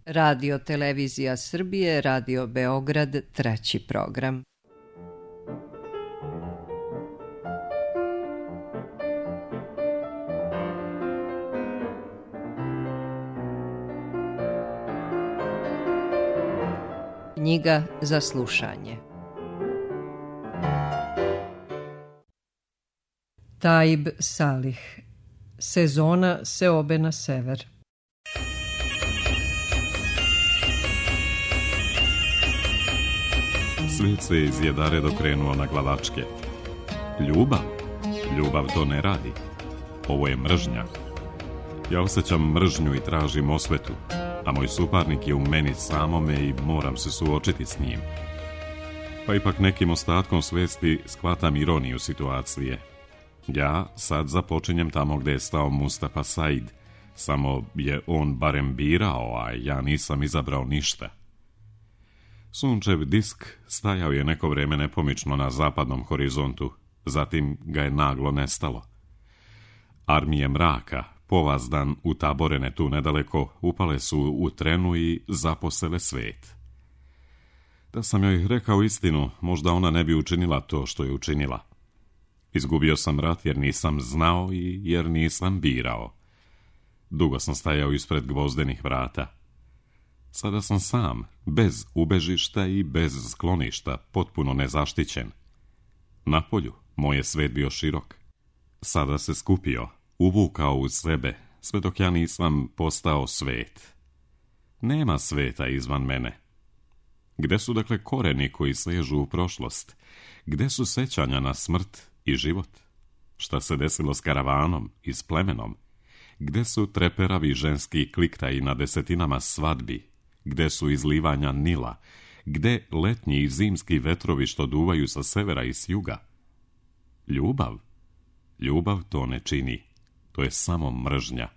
Radio Televizija Srbije, Radio Beograd, 3. program. Knjiga za slušanje. Taib Salih. Sezona seobe na sever. Svijet se iz Jedare dokrenuo na glavačke. Ljubav to ne radi. Ovo je mržnja. Ja osjećam mržnju i tražim osvetu, a moj suparnik je u meni samome i moram se suočiti s njim. Pa ipak nekim ostatkom svijesti shvatam ironiju situacije. Ja sad započinjem tamo gdje je stao Mustafa Said, samo je on barem birao, a ja nisam izabrao ništa. Sunčev disk stajao je neko vrijeme nepomično na zapadnom horizontu, zatim ga je naglo nestalo. Armije mraka, povazdan utaborene tu nedaleko, upale su u trenu i zaposele svijet. Da sam joj rekao istinu, možda ona ne bi učinila to što je učinila. Izgubio sam rat jer nisam znao i jer nisam birao. Dugo sam stajao ispred gvozdenih vrata. Sada sam sam, bez ubežišta i bez skloništa, potpuno nezaštićen. Napolju moj je svet bio širok. Sada se skupio, uvukao u sebe, sve dok ja nisam postao svet. Nema sveta izvan mene. Gde su dakle koreni koji sežu u prošlost? Gde su sećanja na smrt i život? Šta se desilo s karavanom i s plemenom? Gde su treperavi ženski kliktaji na desetinama svadbi? Gde su izlivanja Nila? Gde letnji i zimski vetrovi što duvaju sa severa i s juga? Ljubav to ne čini. To je samo mržnja.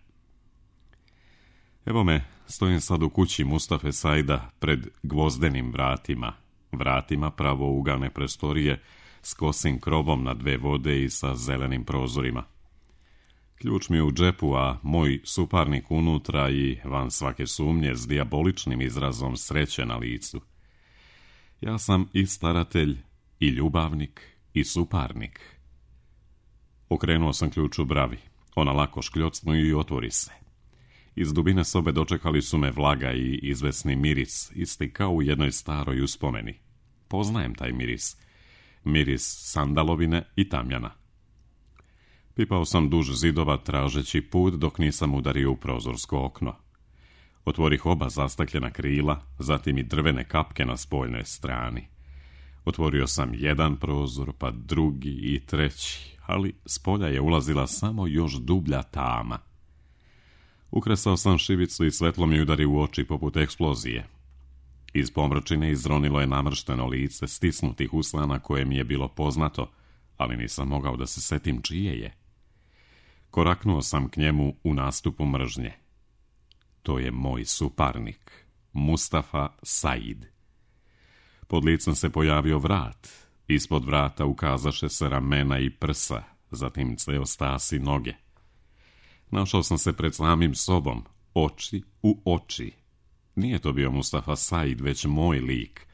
Evo me, stojim sad u kući Mustafe Saida pred gvozdenim vratima pravougalne prostorije s kosim krovom na 2 vode i sa zelenim prozorima. Ključ mi je u džepu, a moj suparnik unutra i van svake sumnje s dijaboličnim izrazom sreće na licu. Ja sam i staratelj, i ljubavnik, i suparnik. Okrenuo sam ključ u bravi. Ona lako škljocnu i otvori se. Iz dubine sobe dočekali su me vlaga i izvesni miris, isti kao u jednoj staroj uspomeni. Poznajem taj miris. Miris sandalovine i tamjana. Pipao sam duž zidova tražeći put dok nisam udario u prozorsko okno. Otvorih oba zastakljena krila, zatim i drvene kapke na spoljnoj strani. Otvorio sam jedan prozor, pa drugi i treći, ali s polja je ulazila samo još dublja tama. Ukresao sam šibicu i svetlo mi udari u oči poput eksplozije. Iz pomračine izronilo je namršteno lice stisnutih usana koje mi je bilo poznato, ali nisam mogao da se setim čije je. Koraknuo sam k njemu u nastupu mržnje. To je moj suparnik, Mustafa Said. Pod licem se pojavio vrat. Ispod vrata ukazaše se ramena i prsa, zatim ceo stas i noge. Našao sam se pred samim sobom, oči u oči. Nije to bio Mustafa Said, već moj lik.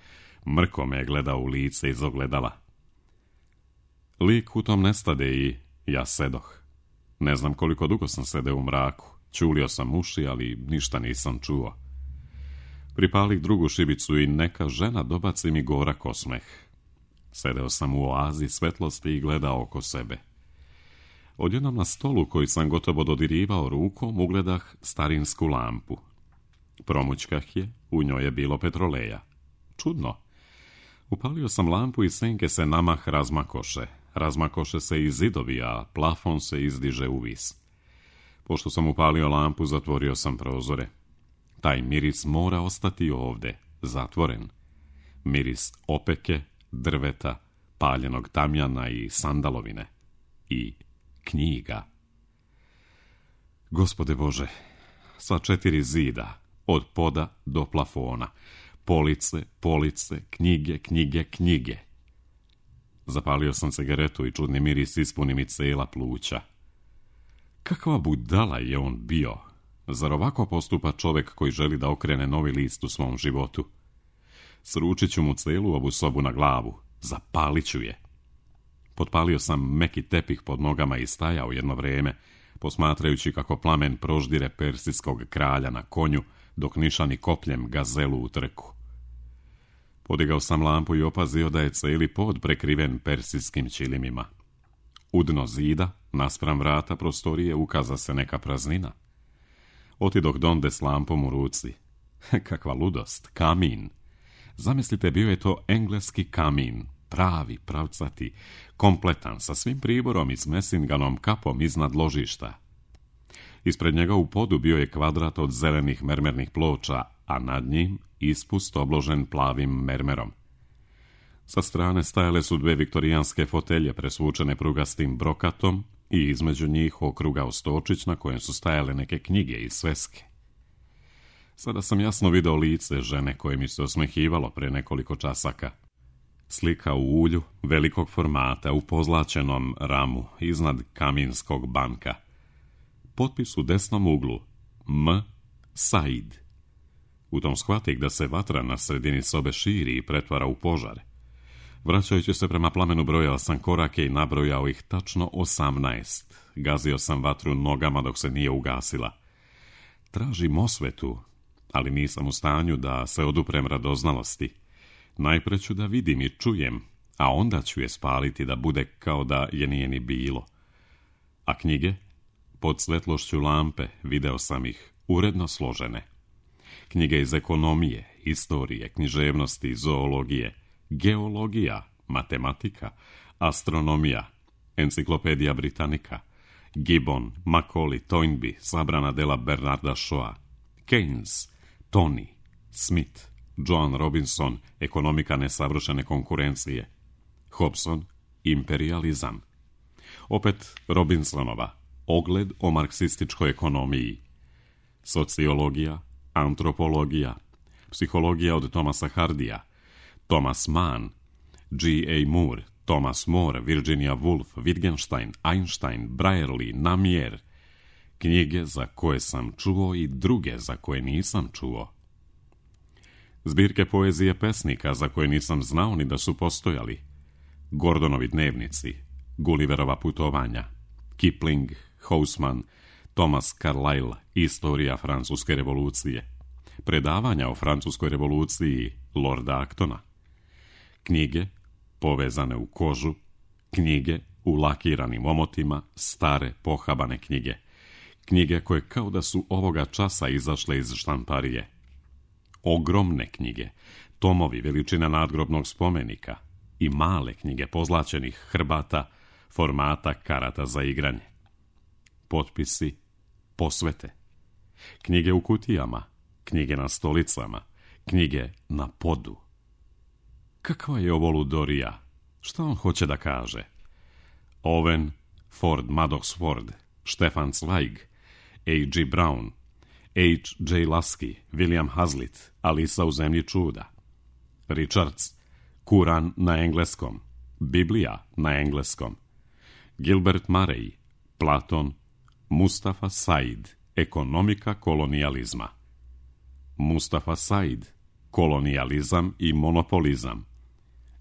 Mrko me je gledao u lice iz ogledala. Lik u tom nestade i ja sedoh. Ne znam koliko dugo sam sedeo u mraku. Čulio sam uši, ali ništa nisam čuo. Pripalih drugu šibicu i neka žena dobaci mi gorak osmeh. Sedeo sam u oazi svetlosti i gledao oko sebe. Odjednom na stolu koji sam gotovo dodirivao rukom ugledah starinsku lampu. Promućkah je, u njoj je bilo petroleja. Čudno. Upalio sam lampu i senke se namah razmakoše. Razmakoše se i zidovi, a plafon se izdiže u vis. Pošto sam upalio lampu, zatvorio sam prozore. Taj miris mora ostati ovde, zatvoren. Miris opeke, drveta, paljenog tamjana i sandalovine. I knjiga. Gospode Bože, sva 4 zida, od poda do plafona. Police, knjige. Zapalio sam cigaretu i čudni miris ispuni mi cela pluća. Kakva budala je on bio. Zar ovako postupa čovjek koji želi da okrene novi list u svom životu? Sručit ću mu celu ovu sobu na glavu, zapalit ću je. Potpalio sam meki tepih pod nogama i stajao jedno vrijeme, posmatrajući kako plamen proždire persijskog kralja na konju, dok nišani kopljem gazelu u trku. Podigao sam lampu i opazio da je cijeli pod prekriven persijskim čilimima. U dno zida, naspram vrata prostorije, ukaza se neka praznina. Otidok donde s lampom u ruci. Kakva ludost, kamin. Zamislite, bio je to engleski kamin, pravi, pravcati, kompletan, sa svim priborom i s mesinganom kapom iznad ložišta. Ispred njega u podu bio je kvadrat od zelenih mermernih ploča, a nad njim ispust obložen plavim mermerom. Sa strane stajale su dve viktorijanske fotelje presvučene prugastim brokatom i između njih okrugao stočić na kojem su stajale neke knjige i sveske. Sada sam jasno video lice žene koje mi se osmehivalo pre nekoliko časaka. Slika u ulju, velikog formata, u pozlačenom ramu, iznad kaminskog banka. Potpis u desnom uglu, M. Said. U tom shvatih da se vatra na sredini sobe širi i pretvara u požar. Vraćajući se prema plamenu brojao sam korake i nabrojao ih tačno 18. Gazio sam vatru nogama dok se nije ugasila. Tražim osvetu, ali nisam u stanju da se oduprem radoznalosti. Najpre ću da vidim i čujem, a onda ću je spaliti da bude kao da je nije ni bilo. A knjige? Pod svetlošću lampe video sam ih, uredno složene. Knjige iz ekonomije, istorije, književnosti, zoologije, geologija, matematika, astronomija, enciklopedija Britannica, Gibbon, Macaulay, Toynbee, sabrana dela Bernarda Shawa, Keynes, Tony, Smith, Joan Robinson, ekonomika nesavršene konkurencije, Hobson, imperializam. Opet Robinsonova, ogled o marksističkoj ekonomiji, sociologija, antropologija, psihologija od Thomasa Hardija, Thomas Mann, G.A. Moore, Thomas More, Virginia Woolf, Wittgenstein, Einstein, Brierly, Namier, knjige za koje sam čuo i druge za koje nisam čuo. Zbirke poezije pesnika za koje nisam znao ni da su postojali. Gordonovi dnevnici, Gulliverova putovanja, Kipling, Hausman, Thomas Carlyle, Istorija francuske revolucije, predavanja o francuskoj revoluciji Lorda Actona, knjige povezane u kožu, knjige u lakiranim omotima, stare pohabane knjige, knjige koje kao da su ovoga časa izašle iz štamparije, ogromne knjige, tomovi veličine nadgrobnog spomenika i male knjige pozlačenih hrbata, formata karata za igranje. Potpisi, posvete, knjige u kutijama, knjige na stolicama, knjige na podu. Kakva je ovo ludorija? Šta on hoće da kaže? Owen, Ford Madox Ford, Stefan Zweig, A.G. Brown, H.J. Lasky, William Hazlitt, Alisa u zemlji čuda, Richards, Kuran na engleskom, Biblija na engleskom, Gilbert Murray, Platon, Mustafa Said, ekonomika kolonijalizma, Mustafa Said, kolonijalizam i monopolizam,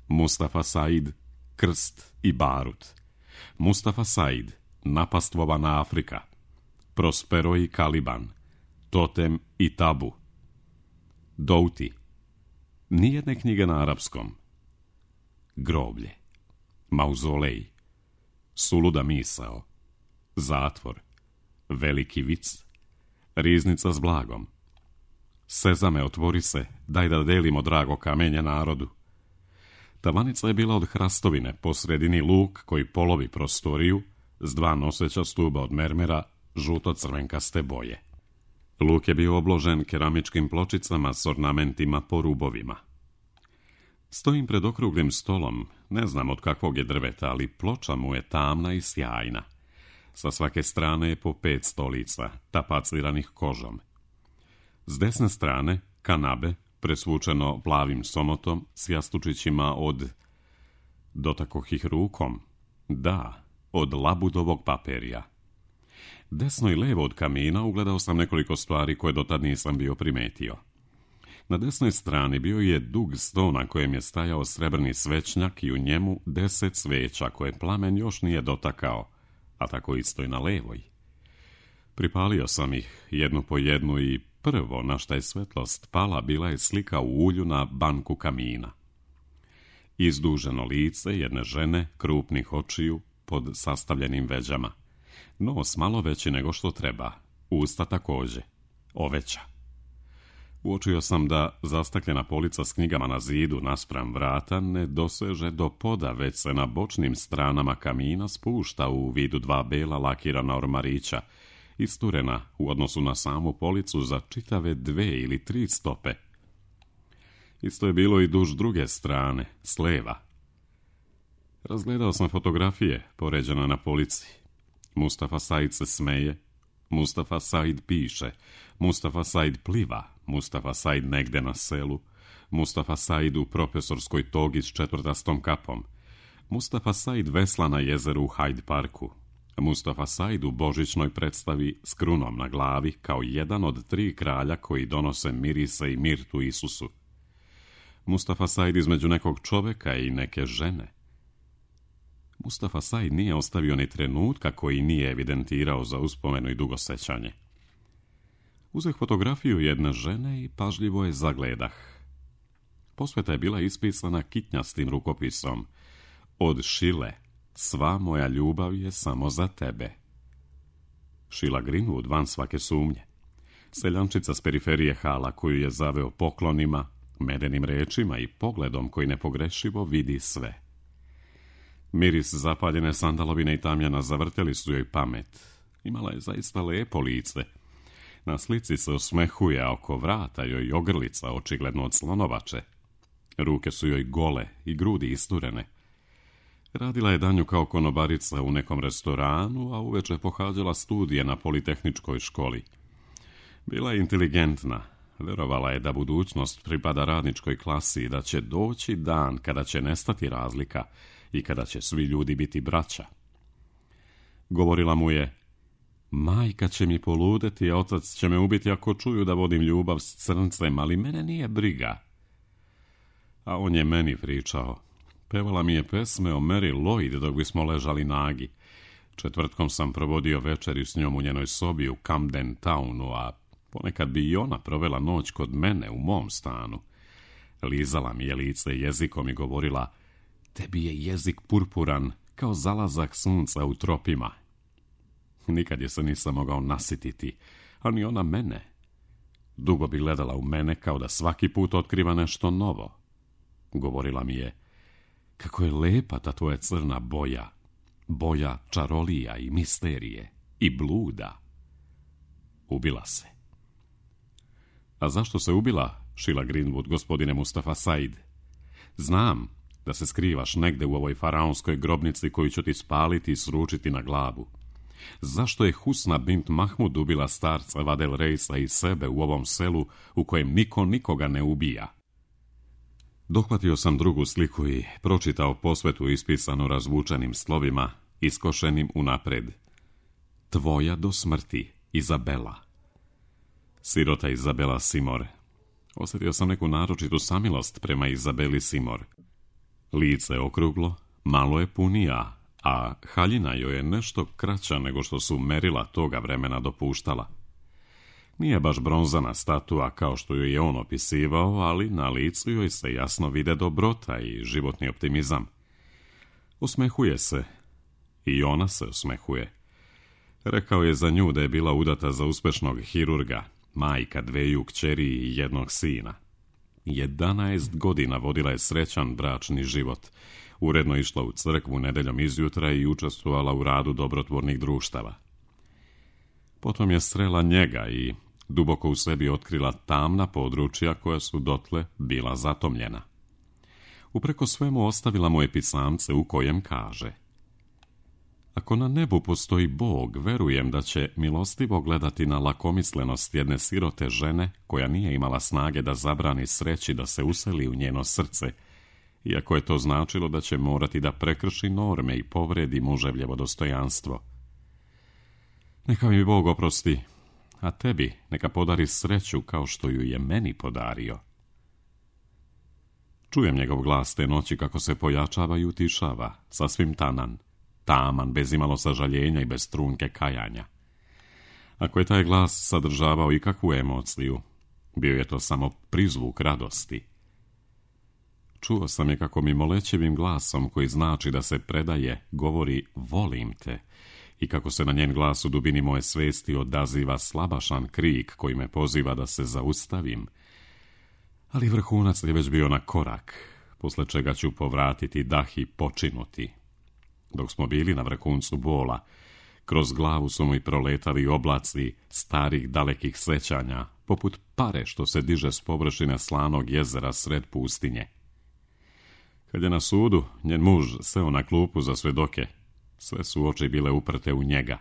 Mustafa Said, krst i barut, Mustafa Said, napastvovana Afrika, Prospero i Caliban, totem i tabu, Doughty, nijedne knjige na arapskom, groblje, mauzolej, suluda misao, zatvor, veliki vic, riznica s blagom, Sezame, otvori se, daj da delimo drago kamenje narodu. Tavanica je bila od hrastovine, po sredini luk koji polovi prostoriju, s dva noseća stuba od mermera, žuto-crvenkaste boje. Luk je bio obložen keramičkim pločicama s ornamentima po rubovima. Stojim pred okruglim stolom, ne znam od kakvog je drveta, ali ploča mu je tamna i sjajna. Sa svake strane je po 5 stolica, tapaciranih kožom. S desne strane, kanabe, presvučeno plavim somotom s jastučićima od... Dotakoh ih rukom. Da, od labudovog paperija. Desno i levo od kamina ugledao sam nekoliko stvari koje dotad nisam bio primetio. Na desnoj strani bio je dug sto na kojem je stajao srebrni svećnjak i u njemu 10 sveća koje plamen još nije dotakao, a tako isto i na levoj. Pripalio sam ih jednu po jednu i prvo na šta je svetlost pala bila je slika u ulju na banku kamina. Izduženo lice jedne žene, krupnih očiju, pod sastavljenim veđama. Nos malo veći nego što treba, usta također, oveća. Uočio sam da zastakljena polica s knjigama na zidu naspram vrata ne doseže do poda, već se na bočnim stranama kamina spušta u vidu 2 bela lakirana ormarića, isturena u odnosu na samu policu za čitave 2 ili 3 stope. Isto je bilo i duž druge strane, s leva. Razgledao sam fotografije poređene na polici. Mustafa Said se smeje, Mustafa Said piše, Mustafa Said pliva, Mustafa Said negde na selu, Mustafa Said u profesorskoj togi s 4. kapom, Mustafa Said vesla na jezeru u Hyde Parku, Mustafa Said u božićnoj predstavi s krunom na glavi kao jedan od 3 kralja koji donose mirise i mirtu Isusu. Mustafa Said između nekog čoveka i neke žene. Mustafa Said nije ostavio ni trenutka koji nije evidentirao za uspomenu i dugosećanje. Uzeh fotografiju jedne žene i pažljivo je zagledah. Posveta je bila ispisana kitnjastim rukopisom. Od Šile, sva moja ljubav je samo za tebe. Sheila Greenwood van svake sumnje. Seljančica s periferije hala koju je zaveo poklonima, medenim rečima i pogledom koji nepogrešivo vidi sve. Miris zapaljene sandalovine i tamjana zavrteli su joj pamet. Imala je zaista lepo lice. Na slici se osmehuje, a oko vrata joj ogrlica, očigledno od slonovače. Ruke su joj gole i grudi isturene. Radila je danju kao konobarica u nekom restoranu, a uveče pohađala studije na Politehničkoj školi. Bila je inteligentna. Verovala je da budućnost pripada radničkoj klasi i da će doći dan kada će nestati razlika i kada će svi ljudi biti braća. Govorila mu je: majka će mi poludeti, a otac će me ubiti ako čuju da vodim ljubav s crncem, ali mene nije briga. A on je meni pričao. Pevala mi je pesme o Mary Lloyd dok bismo ležali nagi. Četvrtkom sam provodio večeri s njom u njenoj sobi u Camden Townu, a ponekad bi i ona provela noć kod mene u mom stanu. Lizala mi je lice jezikom i govorila: tebi je jezik purpuran kao zalazak sunca u tropima. Nikad je se nisam mogao nasititi, a ni ona mene. Dugo bi gledala u mene kao da svaki put otkriva nešto novo. Govorila mi je: kako je lepa ta tvoja crna boja, boja čarolija i misterije i bluda. Ubila se. A zašto se ubila, Sheila Greenwood, gospodine Mustafa Said? Znam da se skrivaš negde u ovoj faraonskoj grobnici koju ću ti spaliti i sručiti na glavu. Zašto je Husna bint Mahmud ubila starca Vadel Reisa i sebe u ovom selu u kojem niko nikoga ne ubija? Dohvatio sam drugu sliku i pročitao posvetu ispisanu razvučenim slovima, iskošenim unapred. Tvoja do smrti, Izabela. Sirota Izabela Simor. Osjetio sam neku naročitu samilost prema Izabeli Simor. Lice okruglo, malo je punija, a haljina joj je nešto kraća nego što su merila toga vremena dopuštala. Nije baš bronzana statua kao što ju je on opisivao, ali na licu joj se jasno vide dobrota i životni optimizam. Osmehuje se. I ona se osmehuje. Rekao je za nju da je bila udata za uspešnog hirurga, majka 2 kćeri i 1 sina. 11 godina vodila je srećan bračni život. Uredno išla u crkvu nedeljom izjutra i učestvovala u radu dobrotvornih društava. Potom je srela njega i duboko u sebi otkrila tamna područja koja su dotle bila zatomljena. Upreko svemu ostavila mu je pisamce u kojem kaže: ako na nebu postoji Bog, verujem da će milostivo gledati na lakomislenost jedne sirote žene koja nije imala snage da zabrani sreći da se useli u njeno srce, iako je to značilo da će morati da prekrši norme i povredi muževljevo dostojanstvo. Neka mi Bog oprosti, a tebi neka podari sreću kao što ju je meni podario. Čujem njegov glas te noći kako se pojačava i utišava, sasvim taman, bez imalo sažaljenja i bez trunke kajanja. Ako je taj glas sadržavao ikakvu emociju, bio je to samo prizvuk radosti. Čuo sam je kako mi molećevim glasom, koji znači da se predaje, govori volim te, i kako se na njen glas u dubini moje svesti odaziva slabašan krik koji me poziva da se zaustavim. Ali vrhunac je već bio na korak, posle čega ću povratiti dah i počinuti. Dok smo bili na vrhuncu bola, kroz glavu su mi proletali oblaci starih dalekih sećanja, poput pare što se diže s površine slanog jezera sred pustinje. Kad je na sudu njen muž seo na klupu za svedoke, sve su oči bile uprte u njega.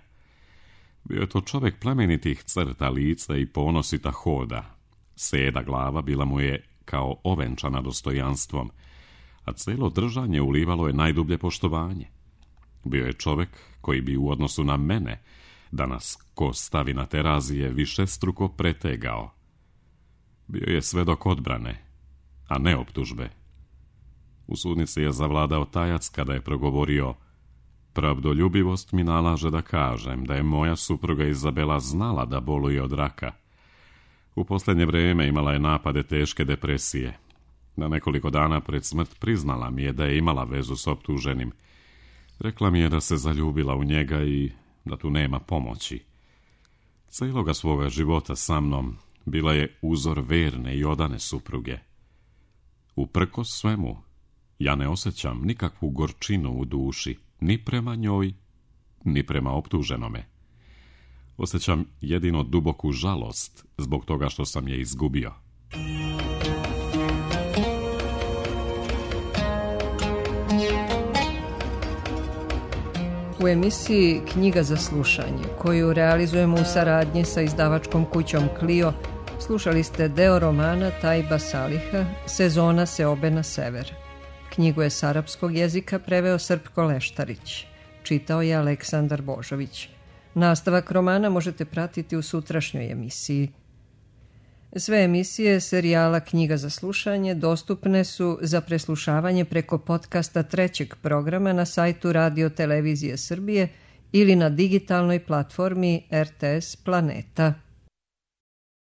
Bio je to čovjek plemenitih crta lica i ponosita hoda. Seda glava bila mu je kao ovenčana dostojanstvom, a celo držanje ulivalo je najdublje poštovanje. Bio je čovjek koji bi u odnosu na mene, da nas ko stavi na terazije, višestruko pretegao. Bio je svedok odbrane, a ne optužbe. U sudnici je zavladao tajac kada je progovorio: pravdoljubivost mi nalaže da kažem da je moja supruga Izabela znala da boluje od raka. U posljednje vrijeme imala je napade teške depresije. Na nekoliko dana pred smrt priznala mi je da je imala vezu s optuženim. Rekla mi je da se zaljubila u njega i da tu nema pomoći. Cijeloga svoga života sa mnom bila je uzor verne i odane supruge. Uprkos svemu, ja ne osjećam nikakvu gorčinu u duši, ni prema njoj, ni prema optuženome. Osjećam jedino duboku žalost zbog toga što sam je izgubio. U emisiji Knjiga za slušanje, koju realizujemo u saradnji sa izdavačkom kućom Clio, slušali ste deo romana Tajba Saliha Sezona seobe na sever. Knjigu je s arapskog jezika preveo Srpko Leštarić. Čitao je Aleksandar Božović. Nastavak romana možete pratiti u sutrašnjoj emisiji. Sve emisije serijala Knjiga za slušanje dostupne su za preslušavanje preko podcasta trećeg programa na sajtu Radio Televizije Srbije ili na digitalnoj platformi RTS Planeta.